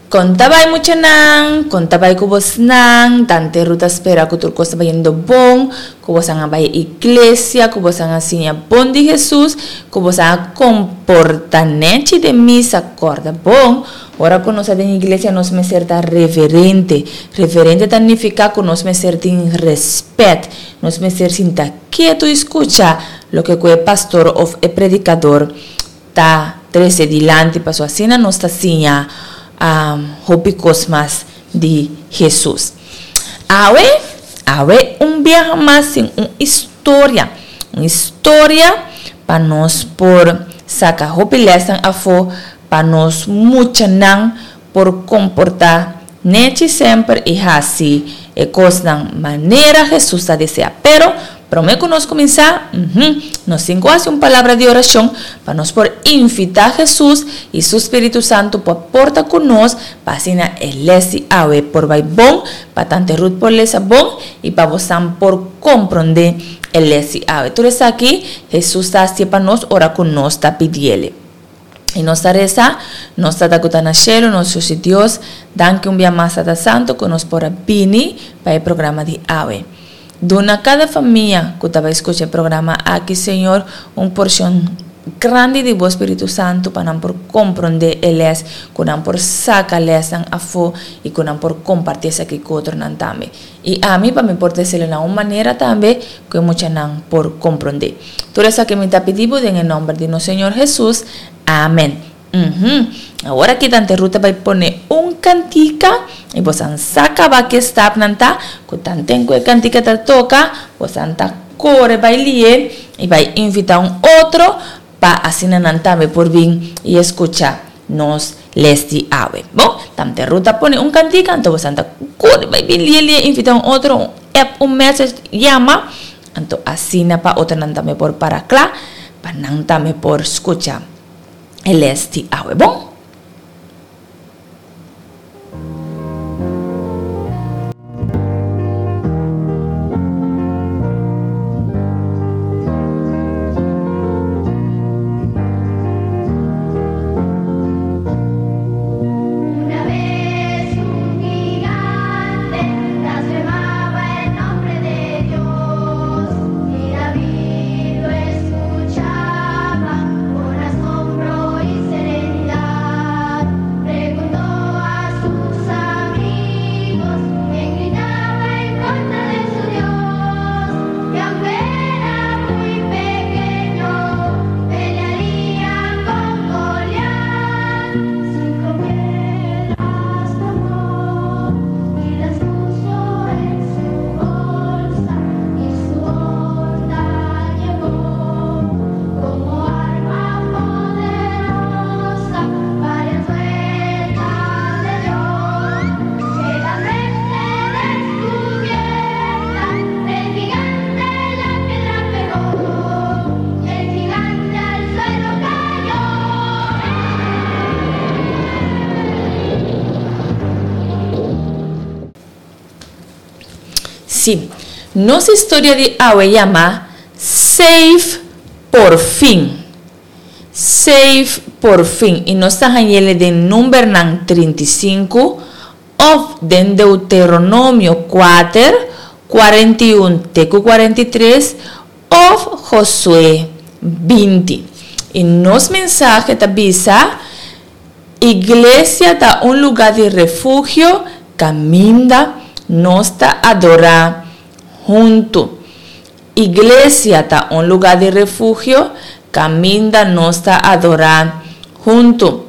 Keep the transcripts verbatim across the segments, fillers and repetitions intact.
Kon ta bai muchanan, kon ta bai ku bosnan, Tante Ruth ta spera ku tur kos ta bayendo bon, ku bosan a bai iglesia, ku bosan a siña bon di Hesus, ku bosan a komporta nechi den misa, kòrda bon, ora ku nos ta den iglesia nos mester ta reverente, reverente ta nifiká ku nos mester tin rèspèt, nos mester sinta ketu i skucha loke ku e pastor òf e predikador ta trese dilanti, pasobra asina nos ta siña hopi kos mas di Hesus. Awe, awe un biaha mas tin un historia, un historia pa nos por saka hopi lèsnan afó, pa nos muchanan por komportá nechi semper i hasi e kosnan manera Hesus ta deseá. Pero promé ku nos kuminsá, nos tin ku hasi un palabra di orashon pa nos por invitá Hesus i su spiritu santu pa por ta ku nos pa asina e lès di awe por bai bon, pa Tante Ruth por lesa bon i pa bosan por komprondé e lès di awe. Tur esaki Hesus ta hasié pa nos ora ku nos ta pidiele. I nos ta resa, Nos Tata ku ta na shelu, nos Dios i Dios, danki un bia mas Tata Santu ku nos por a bini pa e programa di awe. Duna kada famia ku ta bai skucha e programa aki, Señor, un porshon grandi di bo Spiritu Santu pa nan por komprondé e lès, ku nan por saka lèsnan afó i ku nan por kompartí esaki ku otronan tambe. I ami pa mi por desele na un manera tambe ku e muchanan por komprondé. Tur esaki mi ta pidi bo den e nòmber di nos Señor Hesus. Amen. Uhum. Awor aki Tante Ruth ta bai pone un kantika i bosan sa kaba ke stapnan ta, ku tanten ku e kantika ta toka, bosan ta kore bai li'e i bai invitá un otro pa asina nan tambe por bin i eskucha nos les di awe. Bon, Tante Ruth ta pone un kantika, anto bosan ta kore bai bin li'e li'e invitá un otro, un app, un message, yama, anto asina pa otronan tambe por para kla pa nan tambe por skucha e les di awe. Bon? Una bes un gigante blasfemaba el nombre de Dios y David lo escuchaba con asombro y serenidad. Preguntó a sus amigos quién gritaba en contra de su Dios y aunque era muy pequeño pelearía con Goliat. Cinco piedras tomó y las puso en su bolsa y su horda llevó como arma poderosa. Varias vueltas le dio que la frente descubierta el gigante la piedra pegó y el gigante al suelo cayó. Sí, nos historia di awe yama Safe por fin. Safe por fin. I nos ta hañ'el den Numbernan trinta i sinku òf den Deuteronomio kuater, kuarenta i un te ku kuarenta i tres òf Josué binti. I nos mensahe ta bisa, Iglesia ta un lugá di refugio kaminda nos ta adorá huntu. Iglesia ta un lugá di refugio kaminda nos ta adorá huntu.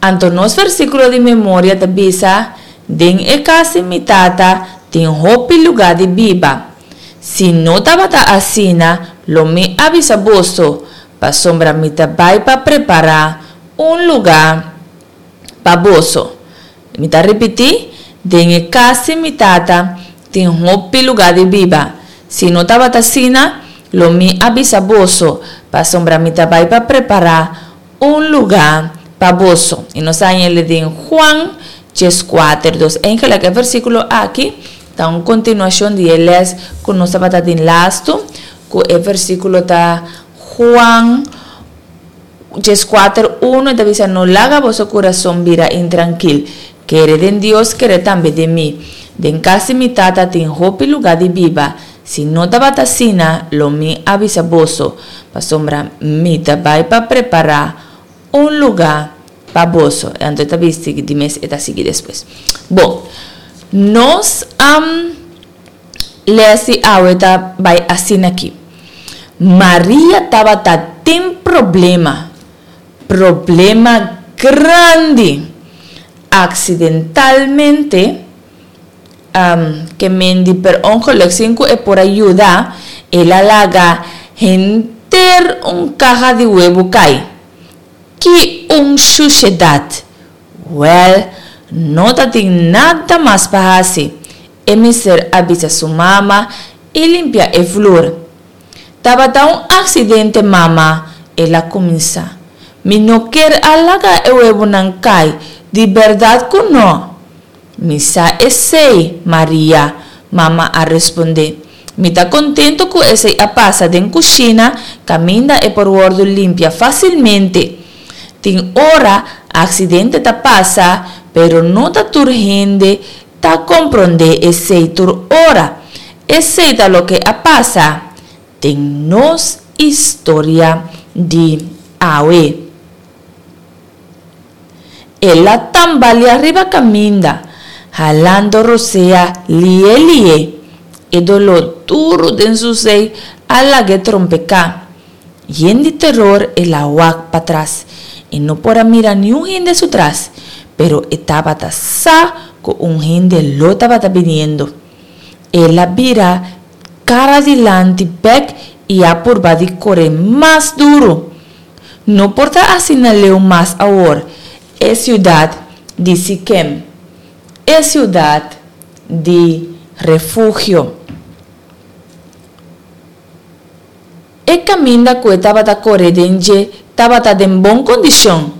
Anto nos versíkulo di memoria ta bisa, Den e kas di mi Tata tin hopi lugá di biba. Si no tabata asina, lo mi a bisa boso, pasobra mi ta bai pa prepará un lugá pa boso. Mi ta ripití, Den e kas di mi Tata tin hopi lugá di biba. Si no tabata asina, lo mi a bisa boso, pasobra mi ta bai pa prepará un lugá pa boso. I nos a hañ'el den Juan djes kuater dos. Eigenlijk e versíkulo aki ta un kontinuashon di e lès ku nos tabata tin lastu, ku e versíkulo ta Juan djes kuater uno, e ta bisa, No laga boso kurason bira intrankil. Kere den Dios, kere tambe den mi. Den kas di mi Tata tin hopi lugá di biba. Si no tabata asina, lo mi a bisa boso, pasobra mi ta bai pa prepará un lugá pa boso. Anto e ta bisti di mes e ta sigui despues. Bon, nos um, les di awe ta bai asina aki. Maria tabata tin problema, problema grandi. Aksidentalmente, um, ke men di per ongeluk sin ku e por a yuda, el a laga henter un kaha di webu kai. Ki un shushedat! Wèl, no tatin nada mas pa hasi. E mester a bisa su mama i limpia e flur. Tabata un aksidente, mama, el a kuminsá. Mi no ker a laga e webunan kai, di bèrdat ku no. Mi sa esei, Maria, mama a respondé. Mi ta kontentu ku esei a pasa den kushina kaminda e por wòrdu limpia fásilmente. Tin ora aksidente ta pasa, pero no ta tur hende ta komprondé esei tur ora. Esei ta loke a pasa den nos historia di awe. El a tambalia riba kaminda, halando rosea lié lié. E doló duru den su sei a lag'é trompeká. Yen di teror el a wak patras. E no por a mira niun hende su tras, pero e tabata sa ku un hende lo tabata biniendo. El a bira kara dilanti bèk i a purba di kore mas duru. No por ta asina leu mas awor, e siudat di Sikem, e siudat di refugio. E kaminda ku e tabata kore den dje tabata den bon kondishon,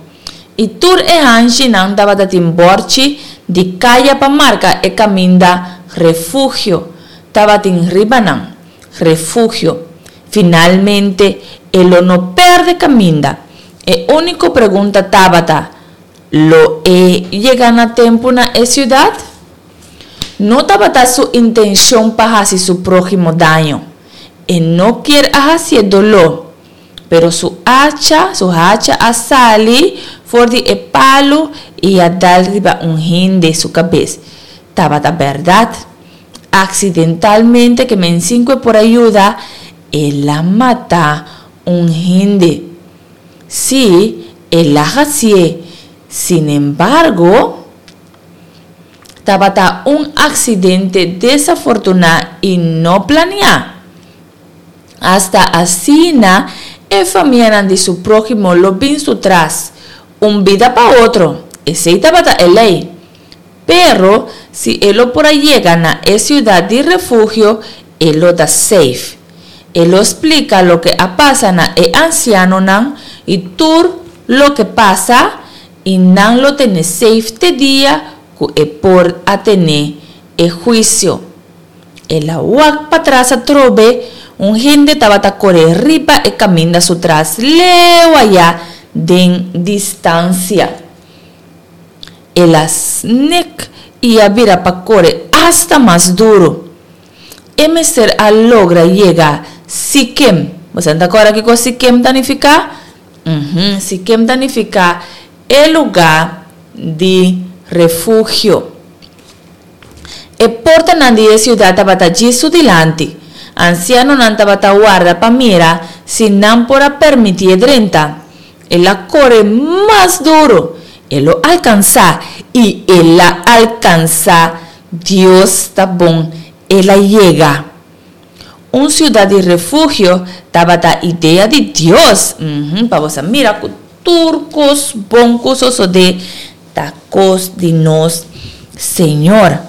i tur e hanshinan tabata tin bòrchi di kaya pa marka e kaminda Refugio tabatin riba nan. Refugio. Finalmente e lo no pèrdè kaminda. E úniko pregunta tabata, Lo e yega na tempu na e siudat? No tabata su intenshon pa hasi su próhimo daño. E no kier a hasié doló. Pero su hacha, su hacha a sali for di e palu i a dal riba un hende su kabes. Tabata bèrdat. Aksidentalmente ke men sin ku e por a yuda, el a mata un hende. Sí, el a hasié. Sinembargo, tabata un aksidente desafortuná i no planiá. Asta asina e famianan di su próhimo lo bin su tras, un bida pa otro, esei tabata e lei. Pero, si e lo por a yega na e siudat di refugio, e lo ta safe. E lo splika loke a pasa na e ansianonan i tur loke pasa, i nan lo tene safe te dia ku e por a tene e huisio. El a wak patras atrobe, un hende tabata kore riba e kaminda su tras leu ayá den distansia. El a snek i a bira pa kore asta mas duru. E mester a logra yega Sikem. Bo sa ta kòrda kiko Sikem ta nifiká? Uhum, Sikem ta nifiká e lugá di refugio. E portanan di e siudat tabata djis su dilanti. Ansianonan tabata warda pa mira si nan por a permitié drenta. El a kore mas duru. E lo alkansá, i el a alkansá! Dios ta bon, el a yega! Un siudat di refugio tabata idea di Dios. Uhum, pa bo sa mira ku tur kos bon ku sosodé ta kos di nos Señor.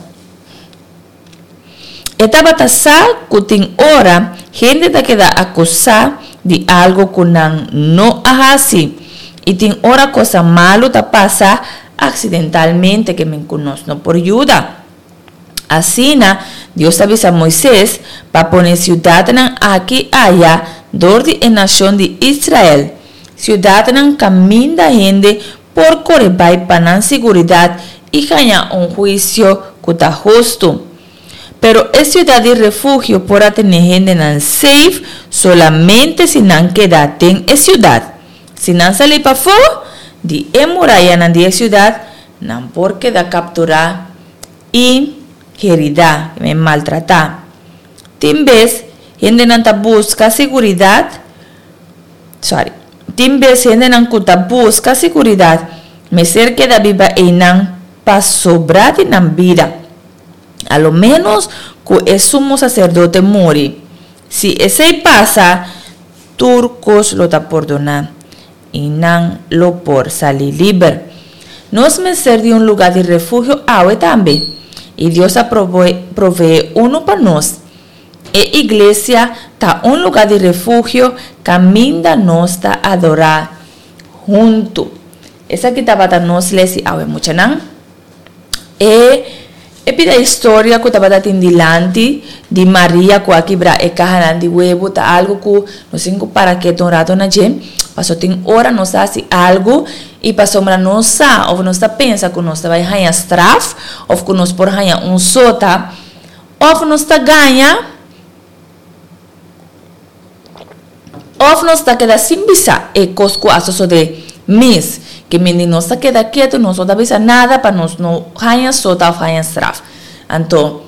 E tabata sa ku tin ora hende ta keda akusá di algu ku nan no a hasi, i tin ora kosa malu ta pasa aksidentalmente ke men ku nos no por yuda. Asina, Dios a bisa Moises pa pone siudatnan aki aya dor di e nashon di Israel, siudatnan kaminda hende por kore bai pa nan siguridat I haña un huisio ku ta hustu. Pero e siudat di refugio por a tene hendenan safe solamente si nan keda den e siudat. Si nan sali pafó di e murayanan di e siudat, nan por keda kapturá i heridá, maltratá. Tin bes hendenan ta buska siguridat, sorry, tin bes hendenan ku ta buska siguridat mester keda biba einan pa sobrá di nan bida, a lo ménos ku e sumo saserdote muri. Si esei pasa, tur kos lo ta pordoná i nan lo por sali liber. Nos mester di un lugá di refugio awe tambe, i Dios a proveé unu pa nos. E iglesia ta un lugá di refugio kaminda nos ta adorá huntu. Esaki tabata nos les di awe, muchanan. E e pida historia ku tabata tin dilanti di Maria ku a kibra e kahanan di webu ta algu ku nos tin ku para ketu un ratu na dje, paso tin ora nos ta hasi algu i pasobra nos sa òf nos ta pensa ku nos ta bai haña straf òf ku nos por haña un sota òf nos ta gaña òf nos ta keda sin bisa e kos ku a sosodé mes. Ke mende nos ta keda ketu, nos no ta bisa nada pa nos no haña sota òf haña straf. Anto,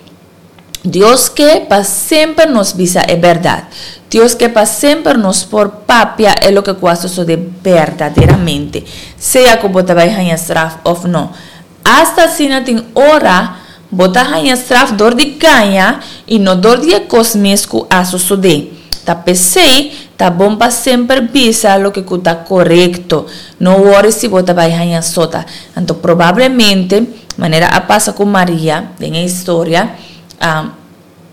Dios ke pa semper nos bisa e bèrdat. Dios ke pa semper nos por papia e loke ku a sosodé berdaderamente, sea ku bo ta bai haña straf òf no. Asta asina tin ora bo ta haña straf dor di gaña i no dor di e kos mes ku a sosodé. Ta p'esei ta bon pa semper bisa loke ku ta korekto. No wòri si bo ta bai haña sota. Anto probablemente, manera a pasa ku Maria den e historia,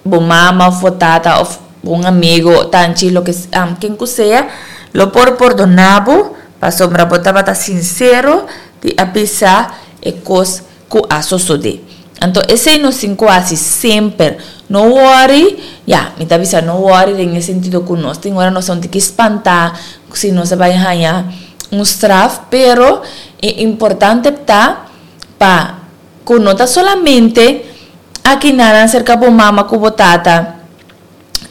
bo mama òf bo tata òf un amigo, tanchi, loke ken ku sea, lo por pordoná bo pasobra bo tabata sinsero di a bisa e kos ku a sosodé. Anto esei nos tin ku hasi semper. No wòri, ya, mi ta bisa no wòri den e sentido ku nos tin ora nos ta un tiki spantá si nos a bai haña un straf, pero e importante ta pa ku no ta solamente aki nan serka bo mama ku bo tata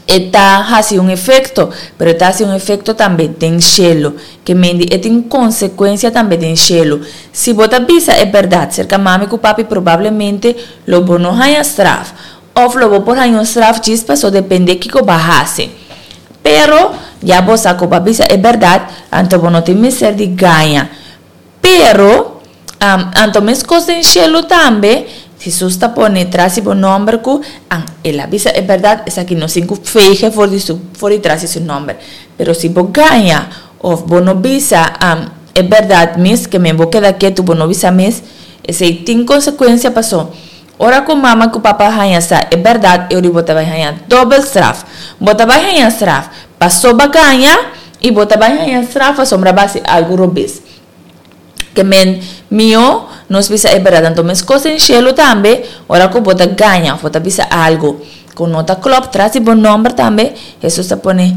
e ta hasi un efekto, pero e ta hasi un efekto tambe den shelu. Ke mende e tin konsekuensia tambe den shelu. Si bo ta bisa e bèrdat serka mami ku papi probablemente lo bo no haña straf òf lo bo por haña un straf djis paso depende kiko bo a hasi. Pero ya bo sa ku bo a bisa e bèrdat, anto bo no tin mester di gaña. Pero, anto meskos den shelu tambe, Hesus ta pone tras di bo nòmber ku an el a bisa e bèrdat, esaki no sin ku feige for di su for di tras di su nòmber. Pero si bo gaña òf bo no bisa e bèrdat mes, ke men bo keda ketu bo no bisa mes, esei tin konsekuensia paso ora ku mama ku papa haña sa e bèrdat e ora bo ta bai haña dòbel straf. Bo ta bai haña straf paso bo a gaña i bo ta bai haña straf pasobra bo a hasi algu robes. Ke men mihó nos bisa e bèrdat. Anto meskos den shelu tambe, ora ku bo ta gaña òf bo ta bisa algu ku no ta klòp tras di bo nòmber tambe, Hesus ta pone,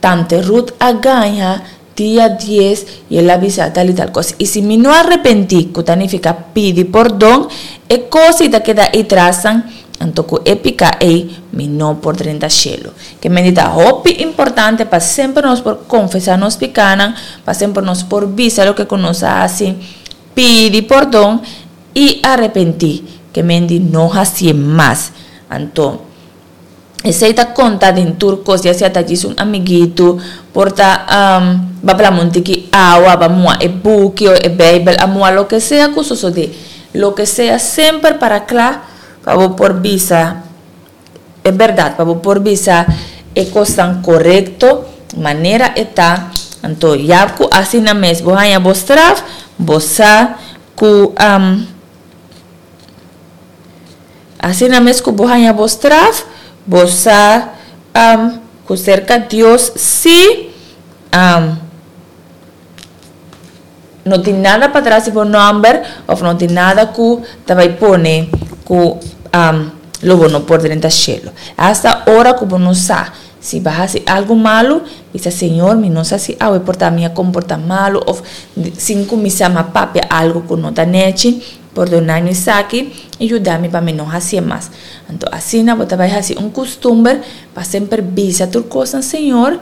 Tante Ruth a gaña dia dies i el a bisa tal i tal kos. I si mi no arepentí, ku ta nifiká pidi pordon, e kos ei ta keda ei trasnan, anto ku e piká ei mi no por drenta shelu. Ke mende ta hopi importante pa semper nos por konfesá nos pikánan, pa semper nos por bisa loke ku nos a hasi, pidi pordon i arepentí. Ke mende no hasié mas. Anto, esei ta konta den tur kos, ya sea ta djis un amiguitu, por ta ba plama un tiki awa, ba mua e buki o e beibel, a mua loke sea ku sosodé. Loke sea semper para kla pa bo por bisa e bèrdat, pa bo por bisa e kosnan korekto manera e ta. Anto ya ku asina mes bo haña bo straf, bo sa ku asina mes ku bo haña bo straf, bo sa ku serka Dios si no tin nada patras di bo nòmber òf no tin nada ku ta bai pone ku lo bo no por drenta shelu. Asta ora ku bo no sa si bo a hasi algu malu, bisa, Señor, mi no sa si awe por ta mi a komportá malu òf sin kuminsá mi a papia algu ku no ta nèchi. Pordoná mi esaki i yuda mi pa mi no hasié mas. Anto asina bo ta bai hasi un kustumber pa semper bisa tur kos na Señor,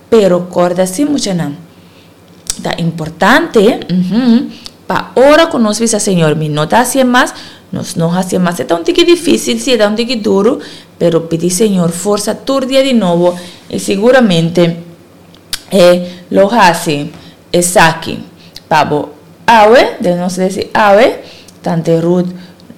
pero kòrda si muchanan, ta importante pa ora ku nos bisa Señor mi no ta hasié mas, nos no hasié mas. E ta un tiki difísil, si e ta un tiki duru, pero pidi Señor forsa tur dia di nobo i siguramente e lo hasi esaki pa bo. Awe, den nos lesi awe, Tante Ruth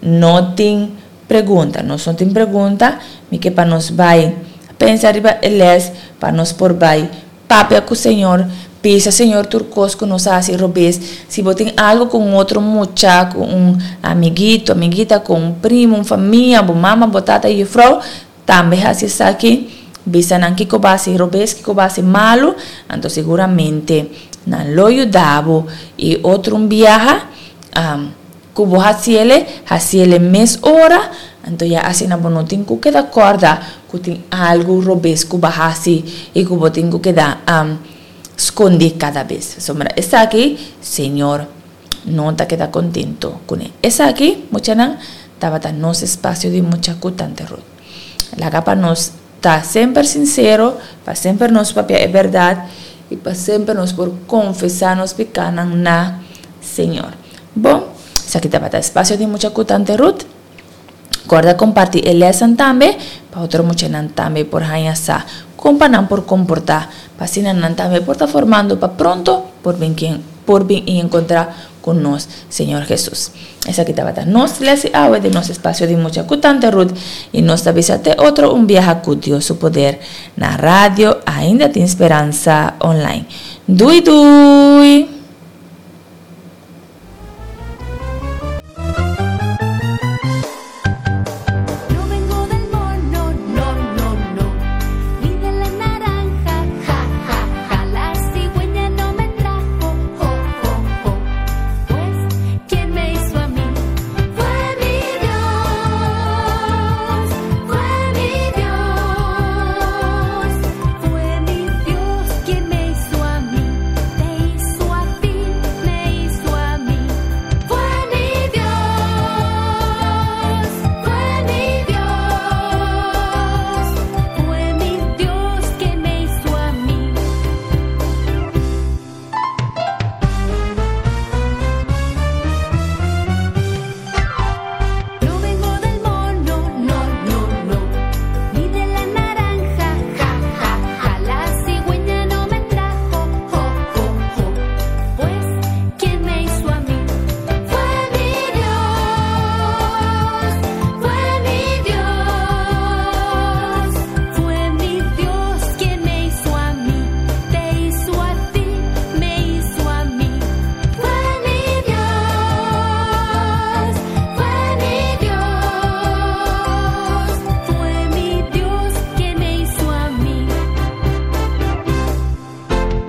no tin pregunta. Nos no tin pregunta, mi ke pa nos bai pensa riba e les pa nos por bai papia ku Señor, bisa Señor tur kos ku nos a hasi robes. Si bo tin algu ku un otro mucha, ku un amiguito, amiguita, ku un primo, un famia, bo mama, bo tata, yufrou, tambe hasi esaki, bisa nan kiko bo a hasi robes, kiko bo a hasi malu, anto siguramente nan lo yuda bo. I otro un biaha ku bo hasiele, hasiele mes ora, anto ya asina bo no tin ku keda kòrda ku tin algu robes ku bo a hasi i ku bo tin ku keda skondí kada bes. Pasobra esaki Señor no ta keda kontento kuné. Esaki, muchanan, tabata nos espasio di mucha ku Tante Ruth. Laga pa nos ta semper sinsero, pa semper nos papia e bèrdat i pa semper nos por konfesá nos pikánan na Señor. Bon, esaki tabata espasio di mucha ku Tante Ruth. Kòrda kompartí e lèsnan tambe pa otro muchanan tambe por haña sa kon pa nan por komportá, pa asina nan tambe por ta formando pa pronto por bin ken por bin i enkontrá ku nos Señor Hesus. Esaki tabata nos lès di awe den nos espasio di mucha ku Tante Ruth i nos ta bisa te otro un biaha ku Dios su poder na radio Ainda Tin Speransa Online. Dui dui!